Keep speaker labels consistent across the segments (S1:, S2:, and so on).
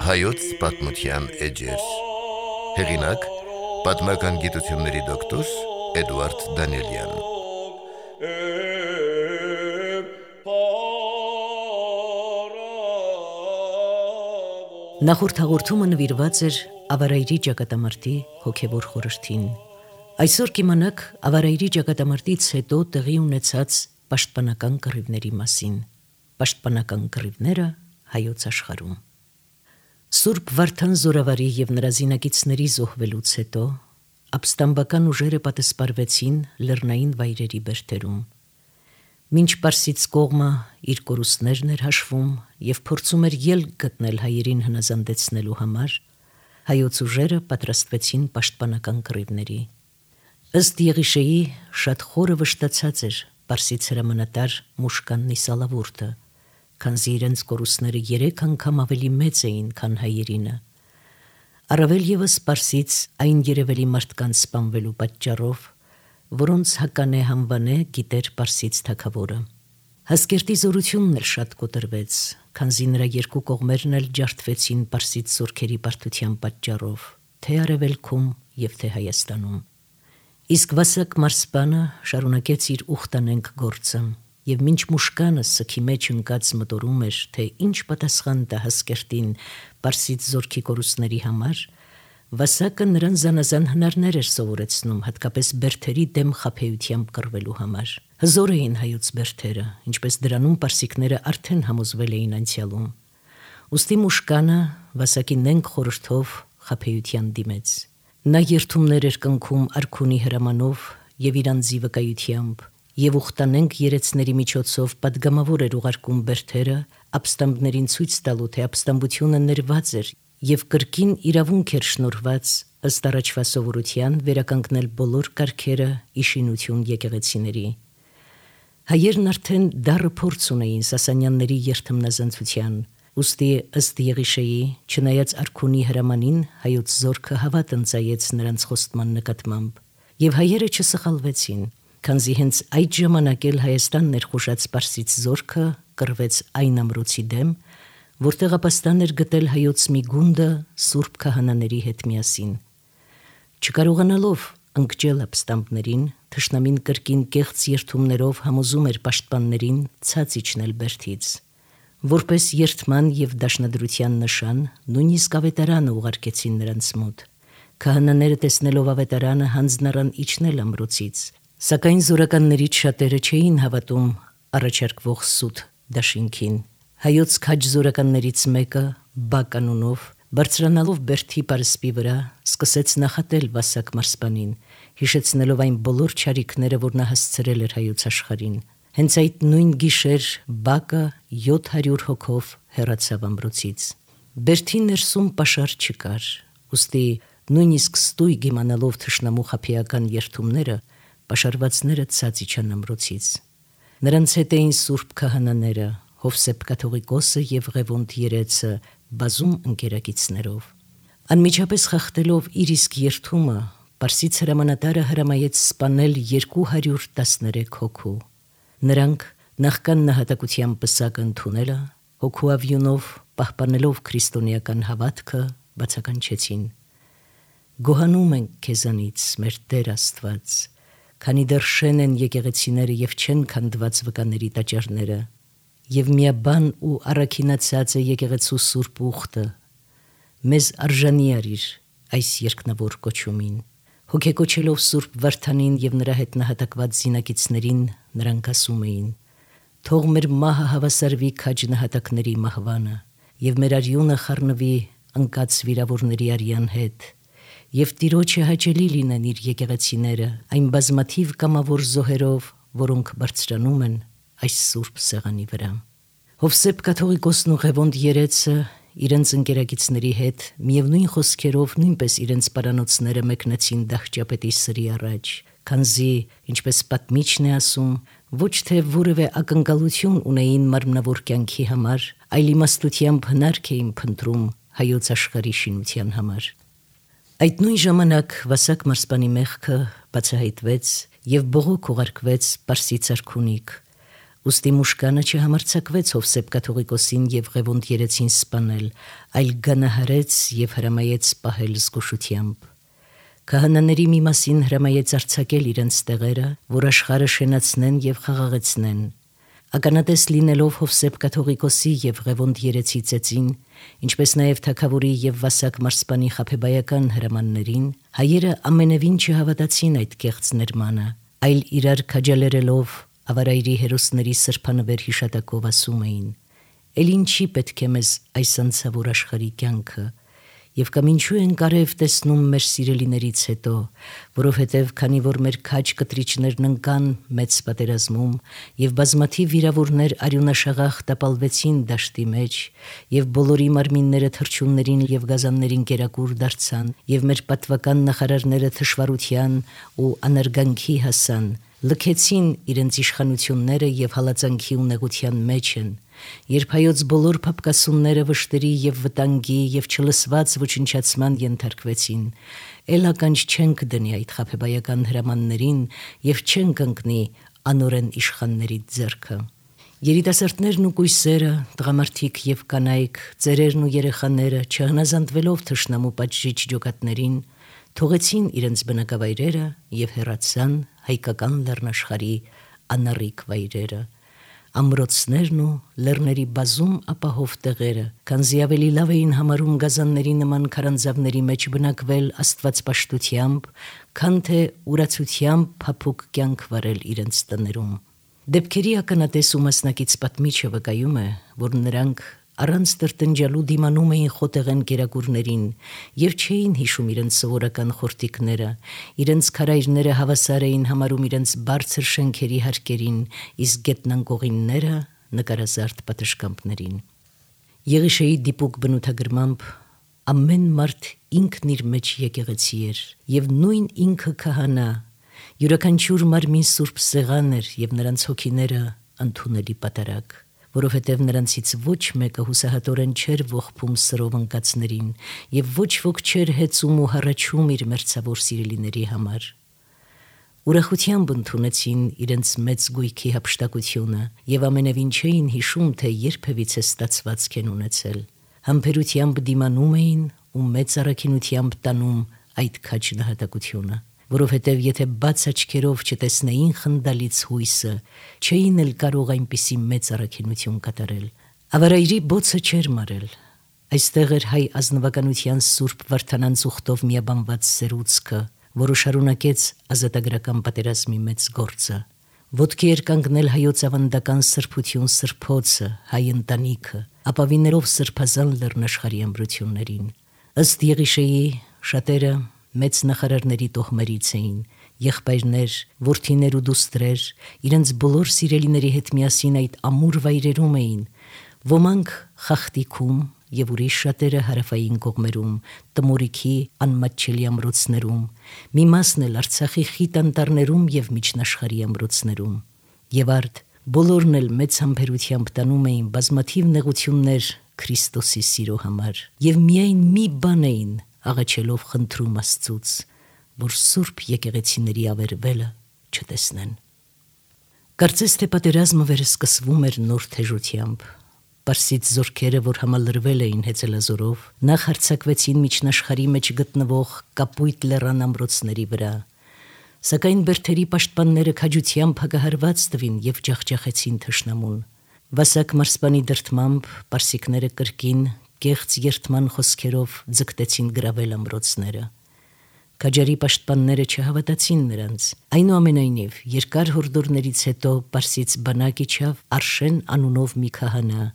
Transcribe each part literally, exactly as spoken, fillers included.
S1: Հայոց պատմության էջեր։ Հեղինակ՝ պատմական գիտությունների դոկտոր Էդուարդ Դանիելյան։
S2: Նախորդ հաղորդումը նվիրված էր Ավարայրի ճակատամարտի հոգևոր խորհրդին։ Այսօր կիմանաք Ավարայրի ճակատամարտից հետո տեղի ունեցած պաշտպանական կռիվների մասին։ Պաշտպանական կռիվները հայոց աշխարհում։ Սուրբ Վարդան Զորավարի և նրա զինակիցների զոհվելուց հետո ապստամբական ուժերը պատսպարվեցին լեռնային վայրերի բերդերում։ Մինչ Պարսից կողմը իր կորուստներն էր հաշվում և փորձում էր ելք գտնել հայերին հնազանդեցնելու համար, հայոց ուժերը պատրաստվեցին պաշտպանական կռիվների։ Ըստ Եղիշեի, շատ խորը վշտացած էր Պարսից հրամանատար Մուշկան Նիսալավուրդը, քանզի իրենց կորուստները երեք անգամ ավելի մեծ էին, քան հայերինը։ Առավել ևս Պարսից այն երևելի մարդկանց սպանվելու պատճառով, որոնց հականե հանվանե գիտեր Պարսից թագավորը։ Հասկերտի զորությունն էլ շատ կոտրվեց, քանզի նրա երկու կողմերն էլ ջարդվեցին Պարսից զորքերի բարդության պատճառով, թե Արևելքում և թե Հայաստանում։ Իսկ Վասակ մարսպանը շարունակեց իր ուխտանենգ գործը, և մինչ Մուշկանը սգի մեջ ընկած մտորում էր, թե ինչ պատասխան տա Հասկերտին Պարսից զորքի կորուստների համար, Վասակը նրան զանազան հնարներ էր սովորեցնում, հատկապես բերդերի դեմ խաբեությամբ կռվելու համար։ Հզոր էին հայոց բերդերը, ինչպես դրանում պարսիկները արդեն համոզվել էին անցյալում։ Ուստի Մուշկանը Վասակի նենգ խորհրդով խաբեության դիմեց։ Նա երդումներ էր կնքում արքունի հրամանով և իր անձի վկայությամբ, և ուխտանենգ երեցների միջոցով պատգամավոր էր ուղարկում բերդերը ապստամբներին ցույց տալու, թե ապստամբությունը ներված էր և կրկին իրավունք էր շնորհված ըստ առաջվա սովորության վերականգնել բոլոր կարգերը ի շինություն եկեղեցիների։ Հայերն արդեն դառը փորձ ունեին Սասանյանների երդմնազանցության, ուստի ըստ Եղիշեի, չնայած արքունի հրամանին, հայոց զորքը հավատ ընծայեց նրանց խոստման նկատմամբ, և հայերը չսխալվեցին, քանզի հենց այդ ժամանակ էլ Հայաստան ներխուժած Պարսից զորքը կռվեց այն ամրոցի դեմ, որտեղ ապաստան էր գտել հայոց մի գունդը սուրբ քահանաների հետ միասին։ Չկարողանալով ընկճել ապստամբներին, թշնամին կրկին կեղծ երդումներով համոզում էր պաշտպաններին ցած իջնել բերդից։ Որպես երդման և դաշնադրության նշան, նույնիսկ ավետարանը ուղարկեցին նրանց մոտ։ Քահանաները տեսնելով ավետարանը հանձն առան իջնել ամրոցից, սակայն զորականներից շատերը չէին հավատում առաջարկվող սուտ դաշինքին։ Հայոց քաջ զորականներից մեկը, Բակ անունով, բարձրանալով բերդի պարսպի վրա, սկսեց նախատել Վասակ մարսպանին, հիշեցնելով այն բոլոր չարիքները, որ նա հասցրել էր հայոց աշխարհին։ Հենց այդ նույն գիշեր Բակը յոթ հարյուր հոգով հեռացավ ամրոցից։ Բերդի ներսում պաշար չկար, ուստի նույնիսկ ստույգ իմանալով թշնամու խաբեական երդումները, պաշարվածները ցած իջան ամրոցից։ Նրանց հետ էին սուրբ քահանաները, Հովսեփ կաթողիկոսը և Ղևոնդ երեցը բազում ընկերակիցներով։ Անմիջապես խախտելով իր իսկ երդումը, Պարսից հրամանատարը հրամայեց սպանել երկու հարյուր տասներեք հոգու։ Նրանք նախքան նահատակության պսակը ընդունելը, հոգու ավյունով պահպանելով քրիստոնեական հավատքը, բացականչեցին. «Գոհանում ենք քեզանից, մեր Տեր Աստված, քանի դեռ շեն են եկեղեցիները և չեն քանդված վկաների տաճարները, և միաբան ու առաքինացած է եկեղեցու սուրբ ուխտը, մեզ արժանի արիր այս երկնավոր կոչումին»։ Հոգեկոչելով սուրբ Վարդանին և նրա հետ նահատակված զինակիցներին, նրանք ասում էին. «Թող մեր մահը հավասարվի քաջ նահատակների մահվանը, և մեր արյունը խառնվի ընկած վիրավորների արյան հետ, և Տիրոջը հաճելի լինեն իր եկեղեցիները այն բազմաթիվ կամավոր զոհերով, որոնք բարձրանում են այս սուրբ սեղանի վրա»։ Հովսեփ կաթողիկոսն ու Ղևոնդ երեցը իրենց ընկերակիցների հետ միևնույն խոսքերով նույնպես իրենց պարանոցները մեկնեցին դահճապետի սրի առաջ, քանզի, ինչպես պատմիչն է ասում, ոչ թե որևէ ակնկալություն ունեին մարմնավոր կյանքի համար, այլ իմաստությամբ հնարք էին փնտրում հայոց աշխարհի շինության համար։ Այդ նույն ժամանակ Վասակ մարզպանի մեղքը բացահայտվեց եւ բողոք ուղարկվեց Պարսից արքունիք։ Ուստի Մուշկանը չհամարձակվեց Հովսեփ կաթողիկոսին եւ Ղևոնդ երեցին սպանել, այլ գանահարեց եւ հրամայեց պահել զգուշությամբ։ Քահանաների մի մասին հրամայեց արձակել իրենց տեղերը, որ աշխարհը շենացնեն եւ խաղաղեցնեն։ Ականատես լինելով Հովսեփ կաթողիկոսի եւ Ղևոնդ երեցի ծեծին, ինչպես նաեւ թագավորի եւ Վասակ մարզպանի խաբեբայական հրամաններին, հայերը ամենևին չհավատացին այդ կեղծ ներմանը, այլ իրար քաջալերելով ավարայրի հերոսների սրբանվեր հիշատակով ասում էին. «Էլ ինչի պետք է մեզ այս անցավոր աշխարհի կյանքը, եւ կամ ինչու ենք արև տեսնում մեր սիրելիներից հետո, որովհետև քանի որ մեր քաջ կտրիչներն ընկան մեծ պատերազմում եւ բազմաթիվ վիրավորներ արյունաշաղախ տապալվեցին դաշտի մեջ եւ բոլորի մարմինները թրջուններին եւ գազաններին կերակուր դարձան եւ մեր պատվական նախարարները թշվառության ու անարգանքի հասան, լքեցին իրենց իշխանությունները եւ հալածանքի ու նեղության մեջ են, երբ հայոց բոլոր փապկասունները վշտերի եւ վտանգի եւ չլսված ոչնչացման ենթարկվեցին, էլ ականջ չենք դնի այդ խաբեբայական հրամաններին եւ չենք ընկնի անօրեն իշխանների ձեռքը։ Երիտասարդներն ու կույսերը, տղամարդիկ եւ կանայք, ծերերն ու երեխաները, չհնազանդվելով թշնամու պատժիչ ջոկատներին, թողեցին իրենց բնակավայրերը եւ հեռացան հայկական լեռնաշխարհի անառիկ վայրերը, ամրոցներն ու լեռների բազում ապահով տեղերը, քանզի ավելի լավ էին համարում գազանների նման քարանձավների մեջ բնակվել աստվածպաշտությամբ, քան թե ուրացությամբ փափուկ կյանք վարել իրենց տներում։ Դեպքերի ականատես ու մասնակից պատմիչը վկայում է, որ նրանք առանց տրտնջալու դիմանում էին խոտեղեն կերակուրներին եւ չէին հիշում իրենց սովորական խորտիկները, իրենց քարայրները հավասար էին համարում իրենց բարձր շենքերի հարկերին, իսկ գետնանկողինները նկարազարդ պատշգամբներին։ Եղիշեի դիպուկ բնութագրմամբ ամեն մարդ ինքն իր մեջ եկեղեցի էր եւ նույն ինքը քահանա, յուրաքանչյուր մարմին սուրբ սեղան էր եւ նրանց հոգիները ընդունելի պատարագ, որովհետև նրանցից ոչ մեկը հուսահատորեն չէր ողբում սրով ընկածներին եւ ոչ ոք չէր հեծում ու հառաչում իր մերձավոր սիրելիների համար։ Ուրախությամբ ընդունեցին իրենց մեծ գույքի հափշտակությունը եւ ամենևին չէին հիշում, թե երբևիցե ստացված քեն ունեցել։ Համբերությամբ դիմանում էին ու մեծ առաքինությամբ տանում այդ քաջ նահատակությունը, որովհետև եթե բաց աչքերով չտեսնեին խնդալից հույսը, չէին էլ կարող այնպիսի մեծ առաքինություն կատարել։ Ավարայրի բոցը չէր մարել։ Այստեղ էր հայ ազնվականության սուրբ Վարդանանց ուխտով միաբանված սերուցքը, որը շարունակեց ազատագրական պատերազմի մեծ գործը։ Ոտքի էր կանգնել հայոց ավանդական սրբություն սրբոցը, հայ ընտանիքը, ապավիներով սրբազան լեռնաշխարհի ամրություններին։ Ըստ Եղիշեի շատերը մեծ նախարարների տոհմերից էին, եղբայրներ, որդիներ ու դուստրեր, իրենց բոլոր սիրելիների հետ միասին այդ ամուր վայրերում էին, ոմանք խախտիքում եւ ուրիշ շատերը հարավային կողմերում, Տմորիքի անմատչելի ամրոցներում, մի մասն էլ Արցախի խիտ անտառներում եւ միջնաշխարհի ամրոցներում։ Եվ արդ բոլորն էլ մեծ համբերությամբ տանում էին բազմաթիվ նեղություններ Քրիստոսի սիրո համար եւ միայն մի բան էին աղաչելով խնդրում Աստծուց, որ սուրբ եկեղեցիների ավերվելը չտեսնեն։ Կարծես թե պատերազմը վերսկսվում էր նոր թեժությամբ։ Պարսից զորքերը, որ համալրվել էին հեծելազորով, նախ հարձակվեցին միջնաշխարհի մեջ գտնվող Կապույտ լեռան ամրոցների վրա, սակայն բերդերի պաշտպանները քաջությամբ հակահարված տվին եւ ջախջախեցին թշնամուն։ Վասակ մարզպանի դրդմամբ պարսիկները կրկին կեղծ երթման խոսքերով ձգտեցին գրավել ամրոցները։ Քաջարի պաշտպանները չհավատացին նրանց։ Այնուամենայնիվ, երկար հորդորներից հետո Պարսից բանակ իջավ Արշեն անունով մի քահանա,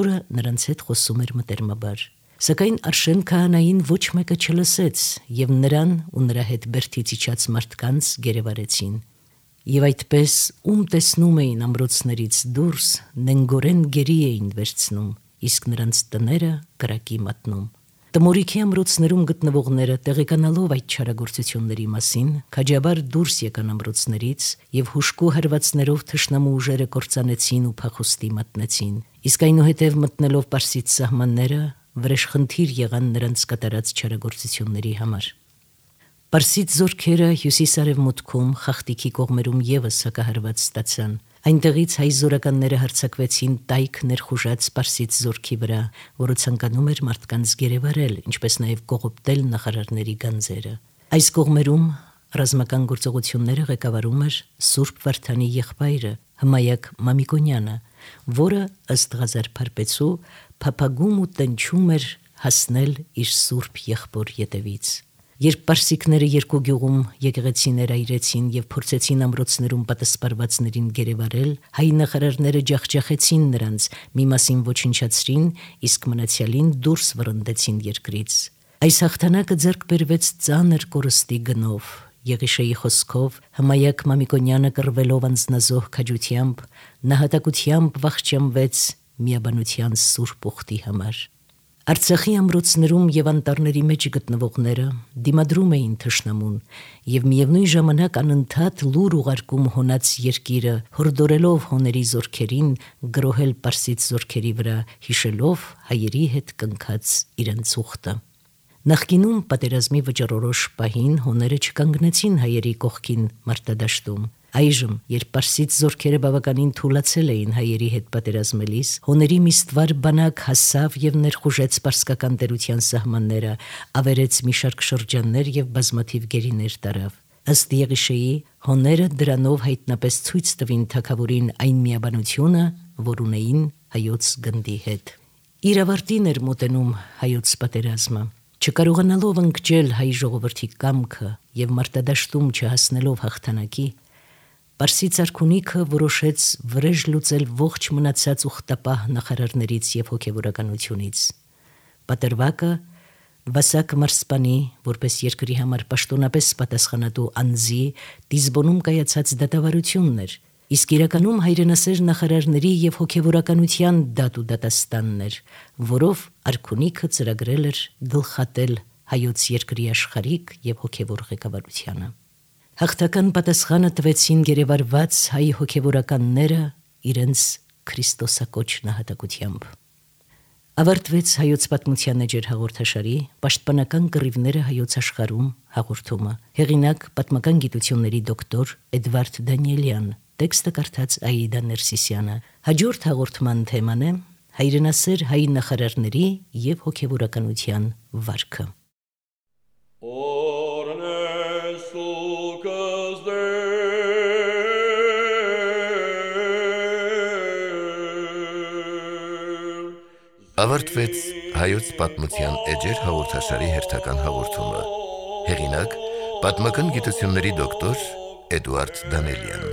S2: որը նրանց հետ խոսում էր մտերմաբար։ Սակայն Արշեն քահանային ոչ մեկը չլսեց եւ նրան ու նրա հետ բերդից իջած մարդկանց գերեվարեցին։ Եվ այդպես ում տեսնում էին ամրոցներից դուրս, նենգորեն գերի էին վերցնում, իսկ նրանց տները կրակի մատնում։ Տմորիքի ամրոցներում գտնվողները տեղեկանալով այդ չարագործությունների մասին, քաջաբար դուրս եկան ամրոցներից եւ հուշկու հարվածներով թշնամու ուժերը կործանեցին ու փախուստի մատնեցին, իսկ այնուհետև մտնելով Պարսից սահմանները վրեժխնդիր եղան նրանց կատարած չարագործությունների համար։ Պարսից զորքերը հյուսիս-արևմուտքում Խախտիկի կողմերում ևս հակահարված ստացան։ Այնտեղից հայ զորականները հարձակվեցին տայք ներխուժած Պարսից զորքի վրա, որը ցանկանում էր մարդկանց գերեվարել, ինչպես նաև կողոպտել նախարարների գանձերը։ Այս կողմերում ռազմական գործողությունները ղեկավարում էր Սուրբ Վարդանի եղբայրը Հմայակ Մամիկոնյանը, որը ըստ Ղազար Փարպեցու փափագում ու տնչում էր հասնել իր սուրբ եղբոր ետևից։ Երբ պարսիկները երկու գյուղում եկեղեցիներ այրեցին եւ փորձեցին ամրոցներում պատասպարվածներին գերեվարել, հայ նախարարները ջախջախեցին նրանց, մի մասին ոչնչացրին, իսկ մնացյալին դուրս վռնդեցին երկրից։ Այս հաղթանակը ձեռք բերվեց ծանր կորստի գնով։ Եղիշեի խոսքով Հմայակ Մամիկոնյանը կռվելով անձնազոհ քաջությամբ, նահատակությամբ վախճանվեց միաբանության սուրբ ուխտի համար։ Արցախի ամրոցներում եւ անտառների մեջ գտնվողները դիմադրում էին թշնամուն եւ միևնույն ժամանակ անընդհատ լուր ուղարկում հոնած երկիրը, հորդորելով հոների զորքերին գրոհել պարսից զորքերի վրա, հիշելով հայերի հետ կնքած իրենց ուխտը։ Նախկինում պատերազմի վճռորոշ պահին հոները չկանգնեցին հայերի կողքին մարտադաշտում։ Այժմ, երբ պարսից զորքերը բավականին թուլացել էին հայերի հետ պատերազմելիս, հոների մի ստվար բանակ հասավ եւ ներխուժեց պարսկական տերության սահմանները, ավերեց մի շարք շրջաններ եւ բազմաթիվ գերիներ տարավ։ Ըստ Եղիշեի, հոները դրանով հայտնապես ցույց տվին թագավորին այն միաբանությունը, որ ունեին հայոց գնդի հետ։ Իր ավարտին էր մոտենում հայոց պատերազմը։ Չկարողանալով ընկճել հայ ժողովրդի կամքը եւ մարտադաշտում չհասնելով հաղթանակի, Պարսից արքունիքը որոշեց վրեժ լուծել ողջ մնացած ուխտապահ նախարարներից եւ հոգեվորականությունից։ Պատրվակը Վասակ Մարսպանի, որպես երկրի համար պաշտոնապես պատասխանատու անձի, Տիզբոնում կայացած դատավարությունն էր, իսկ իրականում հայրենասեր նախարարների եւ հոգեվորականության դատ ու դատաստանն էր, որով արքունիքը ծրագրել էր գլխատել հայոց երկրի աշխարհիկ եւ հոգեվոր ղեկավարությանը։ Հաղթական պատասխանը տվեցին գերեվարված հայ հոգեվորականները իրենց քրիստոսակոչ նահատակությամբ։ Ավարտվեց հայոց պատմության էջեր հաղորդաշարի պաշտպանական կռիվները հայոց աշխարհում հաղորդումը։ Հեղինակ պատմական գիտությունների դոկտոր Էդվարդ Դանիելյան, տեքստը կարդաց Աիդա Ներսիսյանը։ Հաջորդ հաղորդման թեման է հայրենասեր հայ նախարարների եւ հոգեվորականության վարքը։
S1: Ավարտվեց հայոց պատմության էջեր հաղորդաշարի հերթական հաղորդումը։ Հեղինակ պատմական գիտությունների դոկտոր Էդվարդ Դանիելյան։